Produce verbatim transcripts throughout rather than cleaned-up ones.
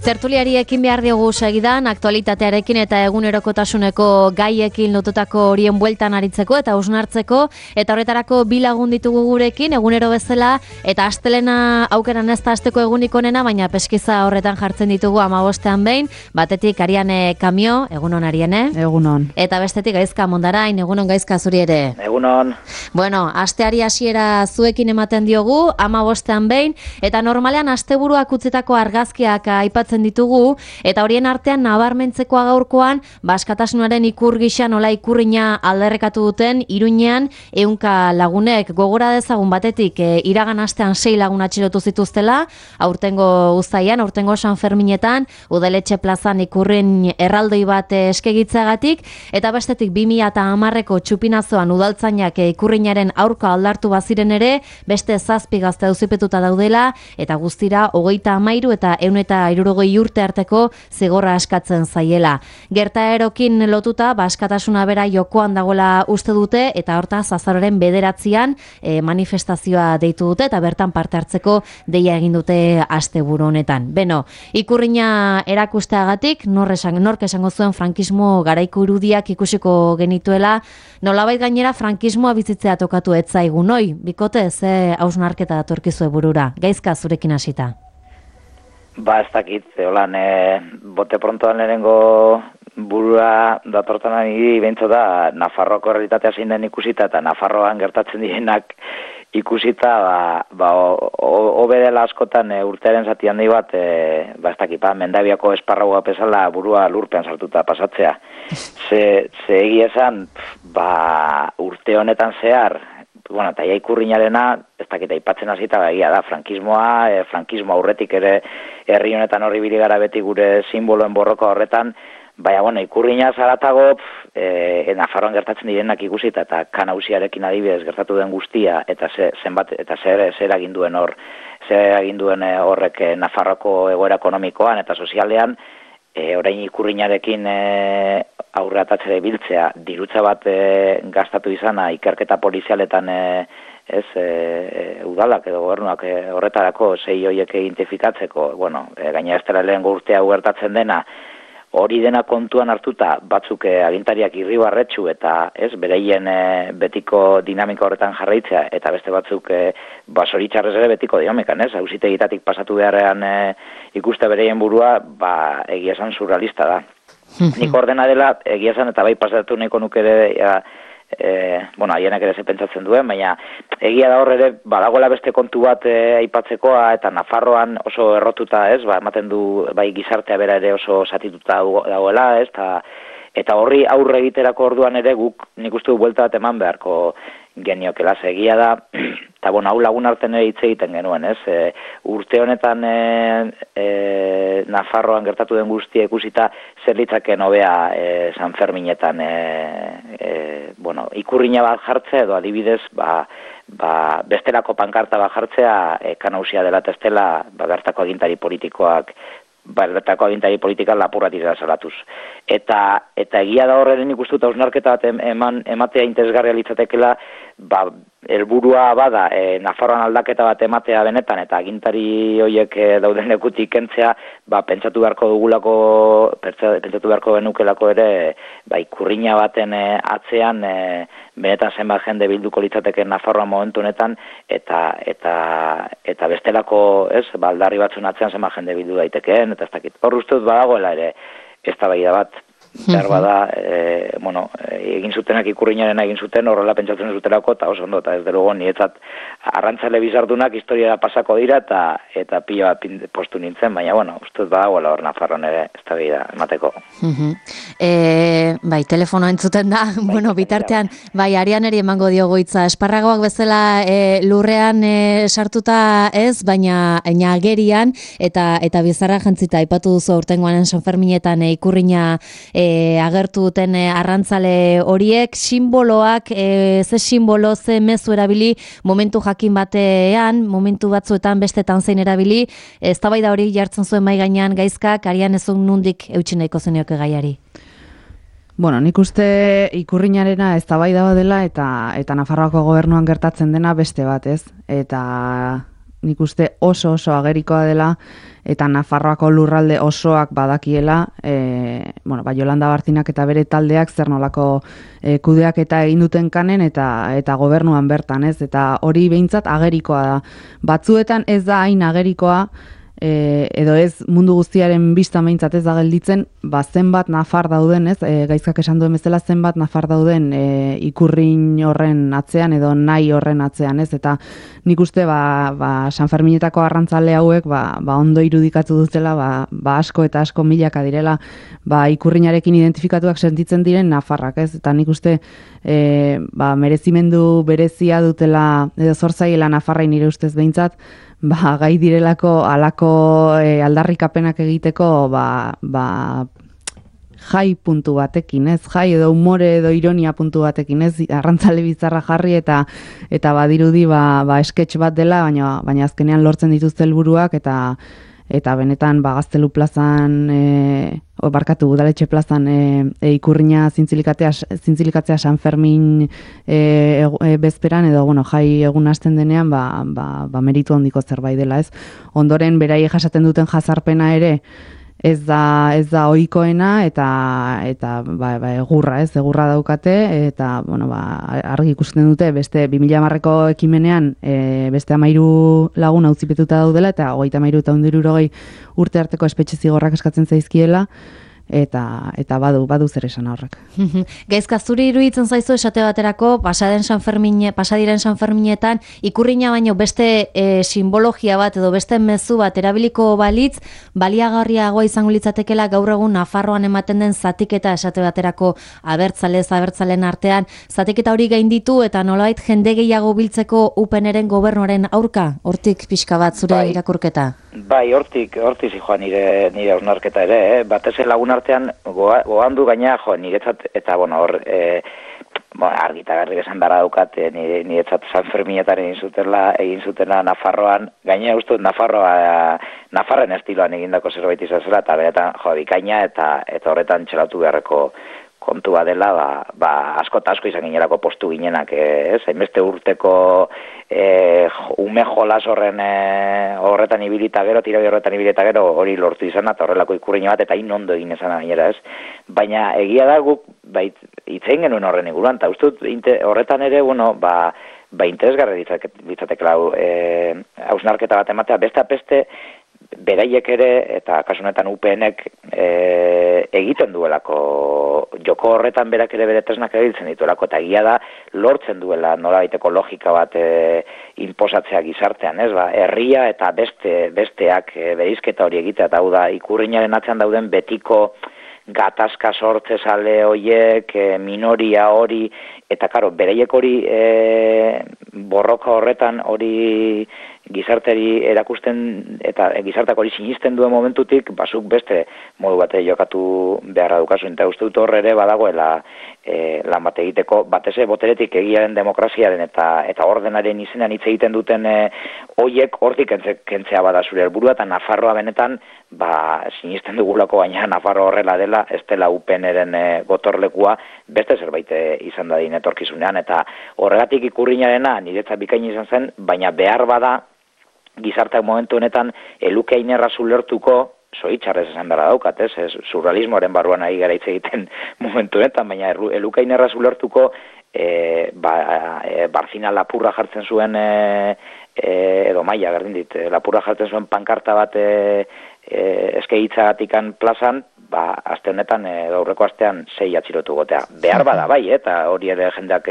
Tertuliari ekin behar diogu segidan, aktualitatearekin eta egunerokotasuneko gaiekin lotutako horien bueltan aritzeko eta hausnartzeko, eta horretarako bi lagun ditugu gurekin, egunero bezala, eta astelena aukeran ez da asteko egunik onena, baina peskiza horretan jartzen ditugu hamabostean behin, batetik Ariane Kamio, egunon Ariane. Egunon. Eta bestetik Gaizka Mondarain, egunon Gaizka zuri ere. Egunon. Bueno, asteari hasiera zuekin ematen diogu, hamabostean behin, eta normalean asteburuak utzitako argazkiak aipatzen ditugu, eta horien artean nabarmentzekoa gaurkoan, baskatasunaren ikur gisa nola ikurrina alderrekatu duten, Iruñean ehunka lagunek. Gogora dezagun batetik, e, iragan astean sei lagun atxilotu zituztela, aurtengo uztaian, aurtengo San Ferminetan, udaletxe plazan ikurrin erraldoi bat eskegitzagatik, eta bestetik bi mila hamareko txupinazoan udaltzainak ikurrinaren aurka aldartu baziren ere, beste zazpi gazte auzipetuta daudela, eta guztira hogeita hamairu eta ehun eta hirurogei urte arteko zigorra askatzen zaiela. Gertaerokin lotuta, baskatasuna bera jokoan dagoela uste dute, eta hortaz azaroren bederatzian e, manifestazioa deitu dute, eta bertan parte hartzeko deia egin dute asteburu honetan. Beno, ikurrina erakusteagatik, nor esan, nork esango zuen frankismo garaiko irudiak ikusiko genituela, nolabait gainera frankismoa bizitzea tokatu ez zaigu, noi? Bikote, ze hausnarketa datorkizue burura? Gaizka zurekin hasita. Ba, ez dakit, holan, e, bote prontoan lehenengo burua datortan niri behintzo da, Nafarroako realitatea zein den ikusita, eta Nafarroan gertatzen direnak ikusita, ba, ba hobe dela askotan e, urtearen zati handi bat, e, ba, ez dakit, ba, Mendabiako esparraua pesala burua lurpean sartuta pasatzea. Ze, ze egia esan, ba, urte honetan zehar, bueno, eta ja ikurrinarena, ez dakit aipatzen hasita egia da, frankismoa, e, frankismo aurretik ere herri honetan horri biligara beti gure simboloen borroka horretan, baina, bueno, ikurrina zaratago, e, e, Nafarroan gertatzen direnak ikusita, eta kanauziarekin adibidez gertatu den guztia, eta ze, zenbat, eta zer, zer aginduen hor, zer aginduen horrek e, Nafarroako egoera ekonomikoan eta sozialean, e, orain ikurrinarekin e, aurre atatzere biltzea, dirutza bat e, gastatu izana, ikerketa polizialetan e, ez, e, udalak edo gobernuak e, horretarako sei hoiek identifikatzeko, bueno, e, gaina ez dela lehen urtea gertatzen dena, hori dena kontuan hartuta batzuk e, agintariak irribarretsu eta ez bereien e, betiko dinamika horretan jarraitzea, eta beste batzuk e, basoritzarrez ere betiko dinamekan, ez, auzitegitatik pasatu beharrean e, ikuste bereien burua, ba, egia esan surrealista da. Nik ordena dela, egia esan eta bai pasatu nahiko nuke ere, ja, e, bueno, haienak ere ze pentsatzen duen, baina egia da hor ere, badagoela beste kontu bat e, aipatzekoa, eta Nafarroan oso errotuta, ez, ba, ematen du, bai gizartea bera ere oso satituta dagoela, ez, ta, eta horri aurre egiterako orduan ere guk nik uste du buelta bat eman beharko geniokela, egia da, eta bueno, hau lagun artean ere hitz egiten genuen, ez, e, urte honetan e, e, Nafarroan gertatu den guztia ikusita zer litzaken hobea e, San Ferminetan e, e, bueno, ikurrina bat jartzea edo adibidez ba, ba, bestelako pankarta bat jartzea e, kanausia dela testela ba, bertako agintari politikoak bertako agintari politika lapurratira salatuz. Eta, eta egia da horren ikustuta hausnarketa bat eman, ematea interesgarria litzatekela, ba, helburua bada e, Nafarroan aldaketa bat ematea benetan, eta agintari horiek e, dauden lekutik kentzea, ba, pentsatu beharko dugulako, pentsatu beharko genukelako ere, ba, ikurrina baten e, atzean, e, benetan zenbat jende bilduko litzateke Nafarroan momentu honetan, eta, eta, eta bestelako, ez, ba, aldarri batzun atzean zenbat jende bildu daitekeen, eta ez dakit. Hor uste dut badagoela ere, eztabaida bat, behar bada, e, bueno, egin zutenak ikurrinaren egin zuten, horrela pentsatzen zutelako, eta oso ondo, eta ez derugo, nietzat arrantzale bizardunak historiara pasako dira, eta eta pila bat postu nintzen, baina, bueno, ustez badagoela hor Nafarroan ere, eztabaida emateko. E, bai, telefono entzuten da, bai, bueno, bitartean, bai, Arianeri emango diogo hitza, esparragoak bezala e, lurrean e, sartuta ez, baina agerian, eta eta bizarra jantzita, aipatu duzu aurtengoan San Ferminetan e, ikurrina e, agertu duten e, arrantzale horiek, simboloak, e, ze simbolo, ze mezu erabili, momentu jakin batean, momentu batzuetan bestetan zein erabili, eztabaida hori jartzen zuen mai gainean Gaizkak, Arian ezun nundik eutsi nahiko zenioke gaiari. Bueno, nik uste ikurrinarena eztabaida dela eta eta Nafarroako gobernuan gertatzen dena beste bat, ez? Eta nik uste oso oso agerikoa dela, eta Nafarroako lurralde osoak badakiela, e, bueno, ba, Jolanda Bartinak eta bere taldeak zer nolako e, kudeak eta egin duten kanen, eta eta gobernuan bertan, ez? Eta hori behintzat agerikoa da. Batzuetan ez da hain agerikoa, E, edo ez mundu guztiaren bista behintzat ez da gelditzen, ba zenbat nafar dauden, ez? E, gaizkak esan duen bezala zenbat nafar dauden e, ikurrin horren atzean edo nahi horren atzean, ez? Eta nik uste ba, ba San Ferminetako arrantzale hauek ba, ba ondo irudikatu dutela, ba, ba asko eta asko milaka direla ba ikurrinarekin identifikatuak sentitzen diren nafarrak, ez? Eta nik uste e, ba merezimendu berezia dutela edo zorzaiela nafarrai nire ustez behintzat, ba, gai direlako alako e, aldarrikapenak egiteko ba, ba, jai puntu batekin, ez? Jai edo humore edo ironia puntu batekin, ez? Arrantzale bizarra jarri eta eta badirudi ba, ba sketch bat dela, baina baina azkenean lortzen dituzte helburuak eta eta benetan ba Gaztelu plazan e, o barkatu Udaletxe plazan e, e, ikurrina zintzilikatzea zintzilikatzea San Fermin e, e, bezperan edo bueno, jai egun hasten denean ba, ba, ba meritu handiko zerbait dela, ez? Ondoren beraiek jasaten duten jazarpena ere ez da ez da ohikoena eta eta ba, ba egurra, ez? Egurra daukate eta bueno, ba argi ikusten dute beste bi mila hamareko ekimenean e, beste hamairu lagun auzipetuta daudela eta hogeita hamairu eta ehun eta hirurogei urte arteko espetxe zigorrak eskatzen zaizkiela. Eta eta badu badu zer esan horrek. Gaizka zuri iruditzen zaizu esate baterako pasaden San Fermine, pasadiren San Ferminetan ikurrina baino beste e, simbologia bat edo beste mezu bat erabiliko balitz baliagarriagoa izango litzatekeela gaur egun Nafarroan ematen den zatiketa esate baterako abertzalez abertzalen artean zatiketa hori gainditu eta nolabait jende gehiago biltzeko U P Nren gobernuaren aurka hortik pixka bat zure bai, irakurketa. Bai, hortik hortik zijoan nire nire hausnarketa ere, eh? Batez lagun artean gogan du gaina jo niretzat eta bueno hor e, bueno, argita garri esan dara daukat e, niretzat San Ferminetaren egin zutela egin zutena Nafarroan gaina uste Nafarroa Nafarren estiloan egindako zerbait izan zela eta beretan jo bikaina eta eta horretan txelatu beharreko kontua dela, ba, ba asko eta asko izan ginerako postu ginenak, ez? Hainbeste urteko e, ume jolas horren e, horretan ibilita gero, tirabi horretan ibilita gero, hori lortu izan, eta horrelako ikurriño bat, eta hain ondo egin ezan gainera, ez? Baina egia da guk, bait, itzein genuen horren inguruan, eta uste dut horretan ere, bueno, ba, ba interesgarri ditzatekela e, hausnarketa bat ematea, beste apeste, beraiek ere, eta kasunetan U P Nek e, egiten duelako, joko horretan berak ere bere tresnak erabiltzen dituelako, eta egia da lortzen duela nolabaiteko logika bat e, inposatzea gizartean, ez? Ba, herria eta beste besteak e, berizketa hori egitea, eta hau da, ikurrinaren atzean dauden betiko gatazka sortze sale horiek, e, minoria hori, eta karo, beraiek hori e, borroka horretan hori gizarteri erakusten eta gizartak hori sinisten duen momentutik, basuk beste modu bate jokatu beharra dukazu, eta uste dut horre ere badagoela e, lan bat egiteko, bateze boteretik egiaren demokraziaren eta eta ordenaren izenean hitz egiten duten e, hoiek hortik kentze, kentzea bada zure helburua, eta Nafarroa benetan ba, sinisten dugulako, baina Nafarroa horrela dela, ez dela U P Nren e, gotorlekua, beste zerbait e, izan dadin etorkizunean, eta horregatik ikurrinarena niretzat bikain izan zen, baina behar bada gizartak momentu honetan eluke ainerra zulertuko, zoitxarrez esan dara daukat, ez, ez surrealismoaren barruan ari gara hitz egiten momentu honetan, baina eluke ainerra zulertuko e, ba, e, Barzina lapurra jartzen zuen e, e, edo maia, berdin dit, lapurra jartzen zuen pankarta bat e, e, eskegitzagatikan plazan, ba, aste honetan, e, aurreko astean sei atxilotu gotea. Behar bada bai, eta hori ere jendeak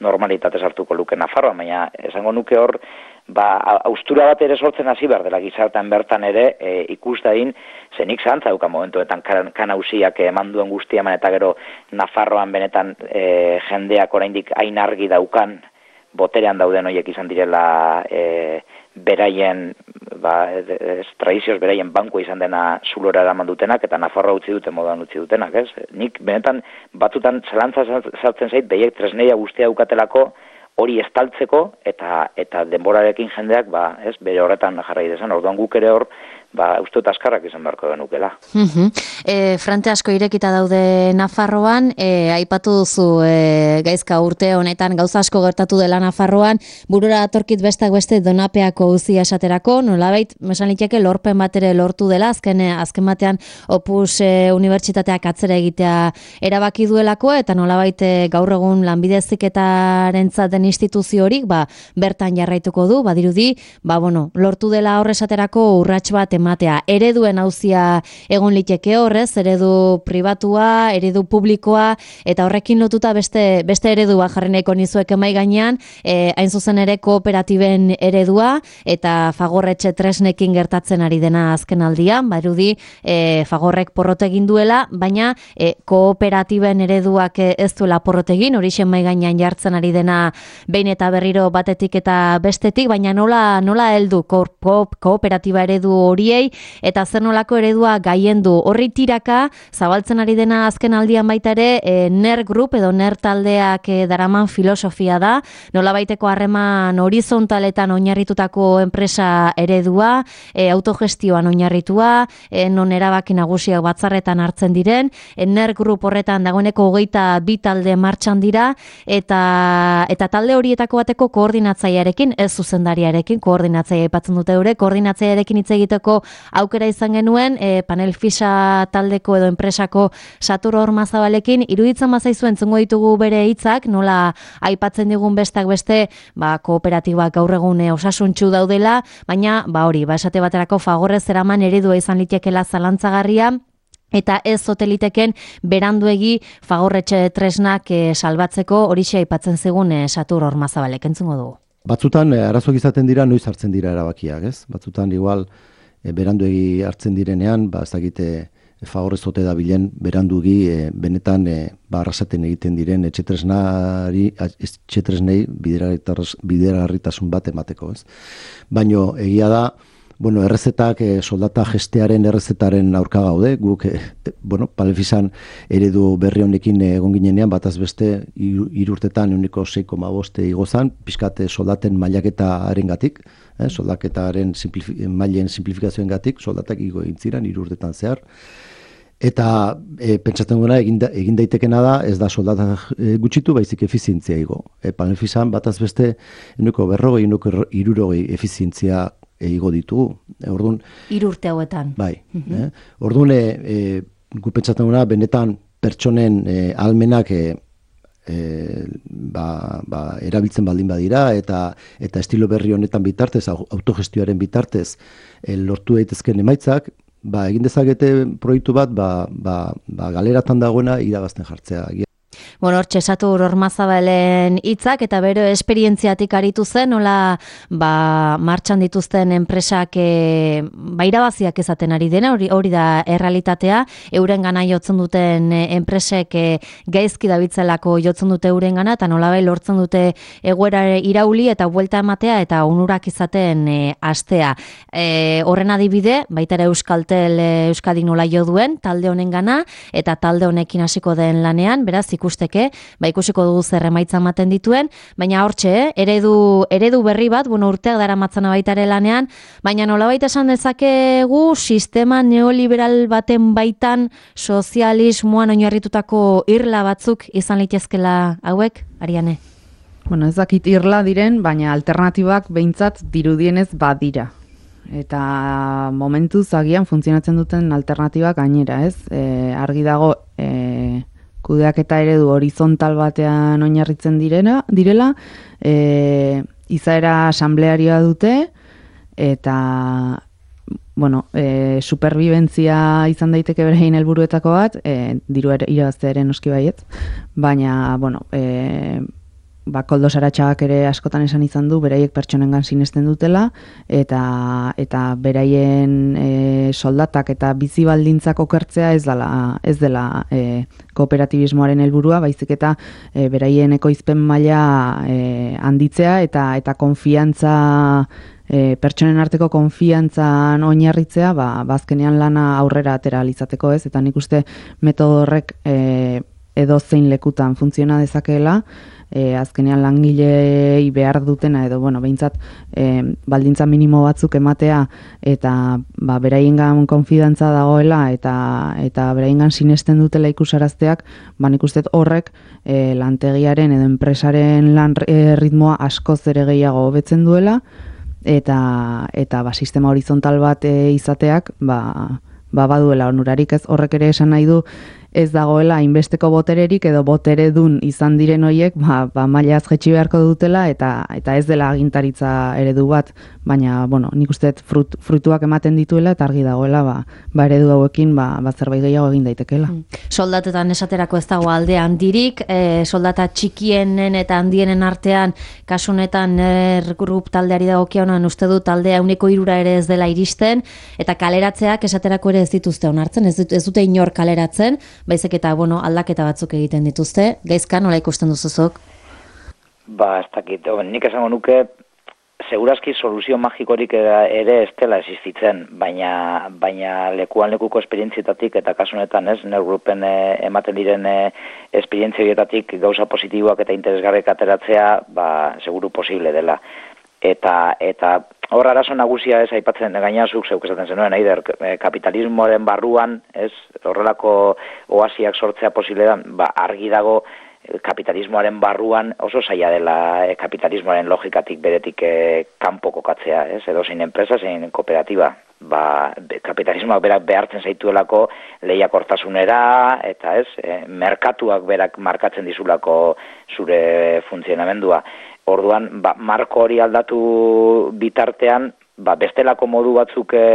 normalitatez hartuko luke Nafarroa, baina esango nuke hor, ba, austura bat ere sortzen hasi behar dela gizartean bertan ere e, ikus dain, zenik zantza duka momentuetan kan, kanausiak eman duen guztia eman eta gero Nafarroan benetan e, jendeak oraindik hain argi daukan boterean dauden horiek izan direla e, beraien ba, ez, tradizioz beraien banku izan dena zulora eraman dutenak eta Nafarroa utzi duten moduan utzi dutenak, ez? Nik benetan batutan zelantza sartzen zait behiek tresneia guztia dukatelako hori estaltzeko eta eta denborarekin jendeak ba, ez, bere horretan jarrai dezan. Orduan guk ere hor ba, uste dut askarrak izan beharko genukela. Uh-huh. E, frante asko irekita daude Nafarroan, e, aipatu duzu e, gaizka urte honetan gauza asko gertatu dela Nafarroan, burura atorkit bestak beste Donapeako auzia esaterako, nolabait, mesan liteke lorpen bat ere lortu dela, azken, azken batean Opus e, unibertsitateak atzera egitea erabaki duelako, eta nolabait e, gaur egun lanbide heziketarentzat den instituzio horik, ba, bertan jarraituko du, badirudi, ba, bueno, lortu dela horresaterako urrats bat ematea. Ereduen auzia egon liteke horrez, eredu pribatua, eredu publikoa, eta horrekin lotuta beste, beste eredua jarri nahiko nizuek emai gainean, e, hain zuzen ere kooperatiben eredua, eta Fagorretxe tresnekin gertatzen ari dena azken aldian, badirudi e, Fagorrek porrot egin duela, baina e, kooperatiben ereduak ez duela porrot egin, hori emai gainean jartzen ari dena behin eta berriro batetik eta bestetik, baina nola, nola heldu ko, ko, kooperatiba eredu horiei, eta zer nolako eredua gaien du. Horri tiraka, zabaltzen ari dena azken aldian baita ere, e, NER Group edo NER taldeak e, daraman filosofia da, nolabaiteko harreman horizontaletan oinarritutako enpresa eredua, e, autogestioan oinarritua, e, non erabaki nagusiak batzarretan hartzen diren, e, NER Group horretan dagoeneko hogeita bi talde martxan dira, eta, eta talde horietako bateko koordinatzailearekin, ez zuzendariarekin, koordinatzailea aipatzen dute eure, koordinatzailearekin hitz egiteko aukera izan genuen, e, Panel Fisa taldeko edo enpresako Satur Ormazabalekin, iruditzen bazaizu entzungo ditugu bere hitzak, nola aipatzen digun bestak beste, ba, kooperatibak gaur egun e, osasuntsu daudela, baina, ba hori, ba, esate baterako Fagorrez eraman eredua izan litekela zalantzagarria, eta ez zoteliteken beranduegi Fagorretxe tresnak e, salbatzeko horixe aipatzen zigun e, Satur Ormazabalek, entzungo dugu. Batzutan e, arazoak izaten dira, noiz hartzen dira erabakiak, ez? Batzutan igual e, beranduegi hartzen direnean, ba ez dakite e, Fagorrez zote da bilen beranduegi e, benetan e, ba arrasaten egiten diren etxetresnari etxetresnei bideragarritasun bat emateko, ez? Baino egia da, bueno, errezetak, e, soldata gestearen errezetaren aurka gaude, guk, e, bueno, Panelfisan eredu berri honekin egon ginenean, bataz beste irurtetan euniko sei koma boste igozan, pixkate soldaten mailaketaren gatik, eh, soldaketaren simplifi, mailen simplifikazioen gatik, soldatak igo egin ziren irurtetan zehar, eta e, pentsatzen guna egin, da, egin daitekena da, ez da soldata e, gutxitu, baizik efizientzia igo. E, Panelfisan bataz beste euniko berrogei, euniko irurogei efizientzia igo ditugu. Orduan, hiru urte hauetan. Bai. Mm-hmm. eh? Orduan, e, e, gu pentsatzen guna, benetan pertsonen e, almenak e, e, ba, ba, erabiltzen baldin badira, eta eta estilo berri honetan bitartez, autogestioaren bitartez, e, lortu daitezken emaitzak, ba, egin dezakete proiektu bat, ba, ba, ba, galeratan dagoena irabazten jartzea. Bueno, hortxe Satur Ormazabalen hitzak eta bero esperientziatik aritu zen, nola ba, martxan dituzten enpresak e, ba, irabaziak ezaten ari dena, hori, hori da errealitatea, euren gana jotzen duten e, enpresek e, gaizki dabiltzelako jotzen dute euren gana, eta nola bai lortzen dute egoera irauli eta buelta ematea eta onurak izaten e, astea. E, horren adibide, baita ere Euskaltel e, Euskadik nola jo duen, talde honen gana, eta talde honekin hasiko den lanean, beraz ikusteke, ba ikusiko dugu zer emaitza ematen dituen, baina hortxe, eh? eredu, eredu berri bat, bueno, urteak dara matzana baitare lanean, baina nolabait esan dezakegu sistema neoliberal baten baitan sozialismoan oinarritutako irla batzuk izan litezkela hauek, Ariane? Bueno, ez dakit irla diren, baina alternatibak behintzat dirudienez badira. Eta momentuz agian funtzionatzen duten alternatibak gainera, ez? E, argi dago e, kudeak eta eredu horizontal batean oinarritzen direna, direla, e, izaera asamblearioa dute, eta bueno, e, superbibentzia izan daiteke berein helburuetako bat, e, diru irabaztearen noski baietz, baina, bueno, e, ba, Koldo Saratxagak ere askotan esan izan du, beraiek pertsonengan sinesten dutela, eta eta beraien e, soldatak eta bizi baldintzak okertzea ez dela, ez dela e, kooperatibismoaren helburua, baizik eta e, beraien ekoizpen maila e, handitzea eta eta konfiantza E, pertsonen arteko konfiantzan oinarritzea, ba, bazkenean lana aurrera atera alizateko, ez? Eta nik uste metodo horrek e, edo zein lekutan funtziona dezakeela, e, azkenean langilei behar dutena edo bueno, behintzat e, baldintza minimo batzuk ematea eta ba, beraiengan konfidantza dagoela eta eta beraiengan sinesten dutela ikusarazteak, ba nik uste horrek e, lantegiaren edo enpresaren lan e, ritmoa askoz ere gehiago hobetzen duela eta eta ba, sistema horizontal bat e, izateak ba, ba baduela onurarik, ez horrek ere esan nahi du ez dagoela hainbesteko botererik edo boteredun izan diren hoiek ba, ba mailaz jetxi beharko dutela eta eta ez dela agintaritza eredu bat, baina bueno, nik uste frut, fruituak ematen dituela eta argi dagoela ba, ba eredu hauekin ba, ba zerbait gehiago egin daitekeela. Mm. Soldatetan esaterako ez dago alde handirik, e, soldata txikienen eta handienen artean kasu honetan er grup taldeari dagokionean uste du taldea ehuneko hirura ere ez dela iristen eta kaleratzeak esaterako ere ez dituzte onartzen, ez, ez dute inor kaleratzen, baizik eta bueno, aldaketa batzuk egiten dituzte. Gaizka, nola ikusten duzuzok? Ba, ez dakit, nik esango nuke, segurazki soluzio magikorik ere ez dela existitzen, baina, baina lekuan lekuko esperientzietatik eta kasu honetan ez, neurgrupen e, ematen diren e, esperientzietatik gauza positiboak eta interesgarriak ateratzea, ba, seguru posible dela. Eta, eta hor arazo nagusia ez aipatzen gainazuk zeuk esaten zenuen, eider, kapitalismoaren barruan, ez, horrelako oasiak sortzea posible da, ba, argi dago kapitalismoaren barruan oso zaila dela e, kapitalismoaren logikatik beretik e, kanpo kokatzea, ez, edo zein enpresa, zein kooperatiba. Ba, kapitalismoak berak behartzen zaituelako lehiakortasunera eta ez, e, merkatuak berak markatzen dizulako zure funtzionamendua. Orduan, ba, marko hori aldatu bitartean, ba, bestelako modu batzuk e,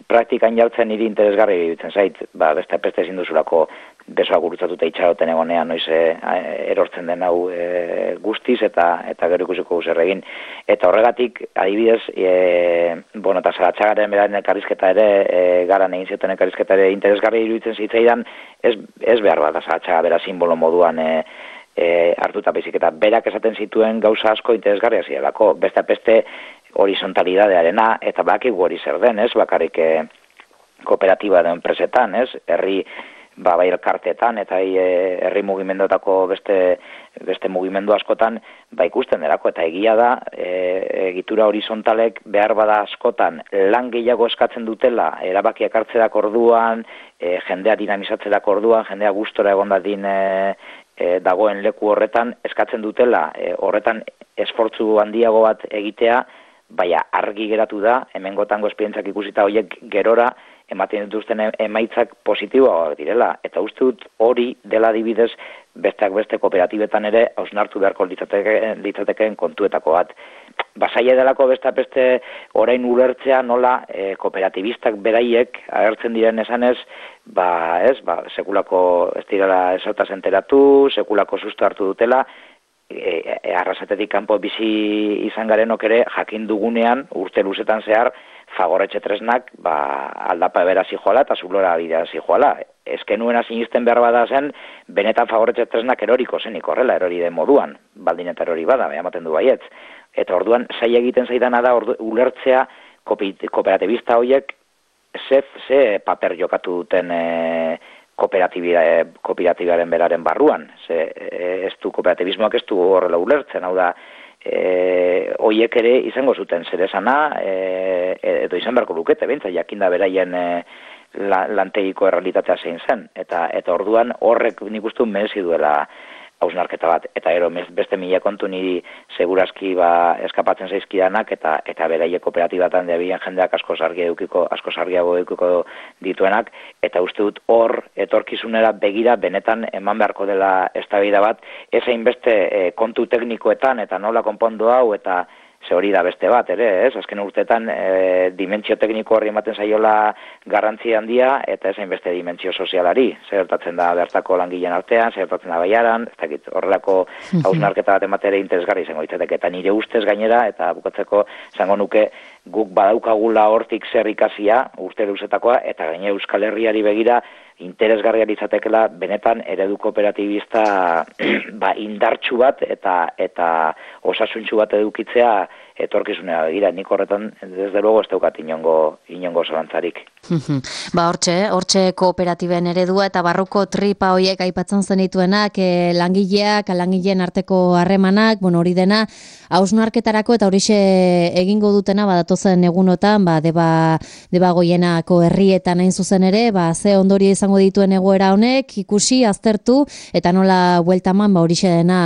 praktikan jartzen niri interesgarri iruditzen zait, ba, beste peste ezin duzulako besoak gurutzatuta itxaroten egonean noiz e, erortzen den hau e, guztiz eta eta gero ikusiko zer egin. Eta horregatik, adibidez, e, bueno, eta Zaratxagaren beraren elkarrizketa ere, e, garan egin zioten elkarrizketa ere interesgarri iruditzen zitzaidan, ez, ez behar bat, Zaratxaga bera simbolo moduan e, E, hartuta baizik eta berak esaten zituen gauza asko interesgarria zirelako, beste beste horizontalidadearena eta bakigu hori zer den, ez, bakarrik e, kooperatiba edo enpresetan, ez, herri ba, bai elkarteetan eta e, herri mugimenduetako beste beste mugimendu askotan ba ikusten derako eta egia da e, egitura horizontalek behar bada askotan lan gehiago eskatzen dutela erabakiak hartzerak orduan, e, jendea dinamizatzerak orduan, jendea gustora egon dadin e, E, dagoen leku horretan eskatzen dutela e, horretan esfortzu handiago bat egitea, baina argi geratu da, hemengotango esperientzak ikusita horiek gerora ematen dituzten emaitzak positiboak direla. Eta uste dut hori dela adibidez besteak beste kooperatibetan ere hausnartu beharko litzatekeen, litzatekeen kontuetako bat. Basaia delako beste beste orain ulertzea nola e, kooperatibistak beraiek agertzen diren esanez, ba, ez, ba, sekulako ez direla esotaz enteratu, sekulako susto hartu dutela, e, e, arrasatetik kanpo bizi izan garenok ere jakin dugunean urte luzetan zehar fagorretxe tresnak ba, aldapa bera zijoala eta zulora bidea zijoala. Ezkenuena sinisten behar bada zen, benetan fagorretxe tresnak eroriko zenik horrela, erori den moduan, baldin eta erori bada, ematen du baietz. Eta orduan, zaila egiten zaidana da ordu, ulertzea kooperatibista horiek ze, ze paper jokatu duten e, kooperatibaren beraren barruan. Ze, e, ez du kooperatibismoak ez du horrela ulertzen, hau da, e, horiek ere izango zuten zeresana, e, edo izan beharko lukete, bentsa, jakinda beraien e, la, lantegiko errealitatea zein zen. Eta, eta orduan horrek nik uste merezi duela hausnarketa bat, eta gero beste mila kontu niri segurazki ba, eskapatzen zaizkidanak, eta eta beraie kooperatibatan deabien jendeak asko sargi edukiko, asko sargiago edukiko dituenak, eta uste dut hor etorkizunera begira benetan eman beharko dela eztabaida bat, ez hainbeste e, kontu teknikoetan, eta nola konpondu hau, eta ze hori da beste bat, ere, ez? Azken urteetan e, dimentsio tekniko horri ematen zaiola garrantzi handia, eta ez hainbeste dimentsio sozialari. Zer gertatzen da bertako langileen artean, zer gertatzen da baiaran, ez dakit, horrelako hausnarketa bat ematere interesgarri izango ditzateke, eta nire ustez gainera, eta bukatzeko izango nuke guk badaukagula hortik zer ikasia, urte luzetakoa, eta gaine Euskal Herriari begira, interesgarria litzatekeela benetan eredu kooperatibista ba, indartsu bat eta eta osasuntsu bat edukitzea etorkizunera begira. Nik horretan desde luego ez daukat inongo inongo zalantzarik. Ba, hortxe, hortxe kooperatiben eredua eta barruko tripa hoiek aipatzen zenituenak, e, langileak, langileen arteko harremanak, bueno, hori dena, hausnarketarako eta horixe egingo dutena, badatozen egunotan, ba, deba, deba goienako herrietan hain zuzen ere, ba, ze ondorio izango dituen egoera honek, ikusi, aztertu, eta nola bueltaman, ba, horixe dena,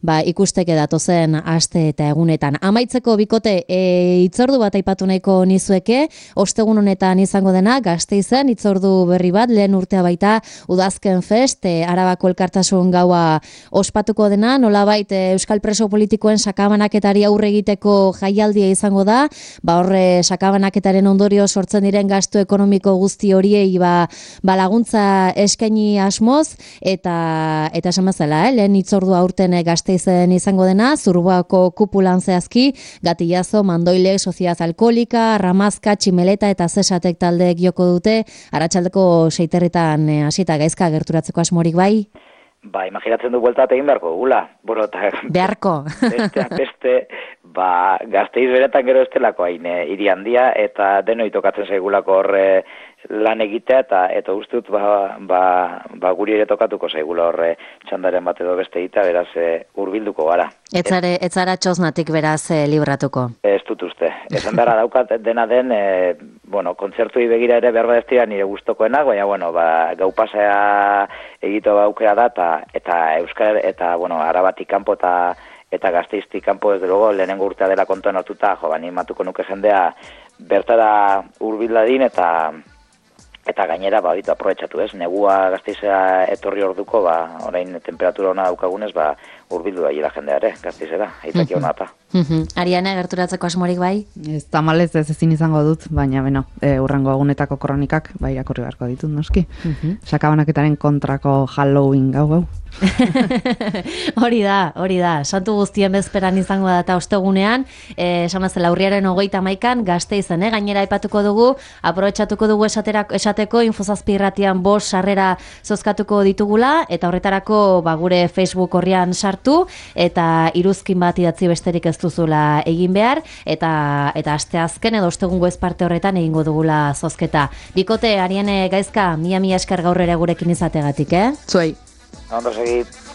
ba, ikusteke datozen aste eta egunetan. Amaitzeko bikote, e, itzordu bat aipatu nahiko nizueke, ostegun honetan izango dena, Gasteizen itzordu berri bat, lehen urtea baita Udazken Fest, e, Arabako elkartasun gaua ospatuko dena, nolabait e, Euskal Preso Politikoen sakabanaketari aurre egiteko jaialdia izango da, ba horre sakabanaketaren ondorio sortzen diren gastu ekonomiko guzti horiei ba, ba laguntza eskaini asmoz, eta eta esan bezala, eh, lehen itzordu aurten Gasteizen izango dena, Zurbuako kupulan zehazki, Gatillazo, Mandoile, Sociedad Alkolika, Ramazka, Tximeleta eta Zesatek talde joko dute, arratsaldeko seiterritan hasita gaizka gerturatzeko asmorik bai? Ba, imaginatzen du bueltat egin beharko gula. Bueno, ta, beharko. Beste, beste, ba, Gasteiz beretan gero estelako hain e, hiri handia, eta denoi tokatzen zaigulako horre lan egitea, eta eta uste dut ba, ba, ba guri ere tokatuko zaigula horre txandaren bat edo beste egitea, beraz e, hurbilduko gara. Etzare, etzara txosnatik beraz e, libratuko. Ez dut uste. Esan behar daukat dena den, e, bueno, kontzertui begira ere behar badeztira nire gustokoenak, baina, bueno, ba, gau pasea egito baukera da, eta, eta Euskal, eta, bueno, Arabatik kanpo eta eta Gasteiztik kanpo ez dugu, lehenengo urtea dela kontuan hartuta, jo, ba, animatuko nuke jendea bertara hurbiladin eta eta gainera, ba, ditu aprobetxatu ez, negua Gasteizera etorri orduko, ba, orain temperatura ona daukagunez, ba, hurbildu da jela jendea ere, Gasteizera, aitaki ona eta. Ariane, gerturatzeko asmorik bai? Ez tamalez ez ezin izango dut, baina, beno, e, urrengo egunetako kronikak, bai irakurri beharko ditut, noski. Sakabanaketaren kontrako Halloween gau gau. Hori da, hori da. Santu guztien bezperan izango da eta ostegunean, eh, esan bezala urriaren hogeita hamaikan Gasteizen, eh? Gainera aipatuko dugu, aprobetxatuko dugu esaterako, esateko Infozazpi irratian bost sarrera zozkatuko ditugula, eta horretarako ba, gure Facebook horrian sartu, eta iruzkin bat idatzi besterik ez duzula egin behar, eta eta asteazken edo ostegungo ez parte horretan egingo dugula zozketa. Bikote, Ariane Gaizka, mila mila esker gaur ere gurekin izategatik, eh? Zuei. Ondo segit.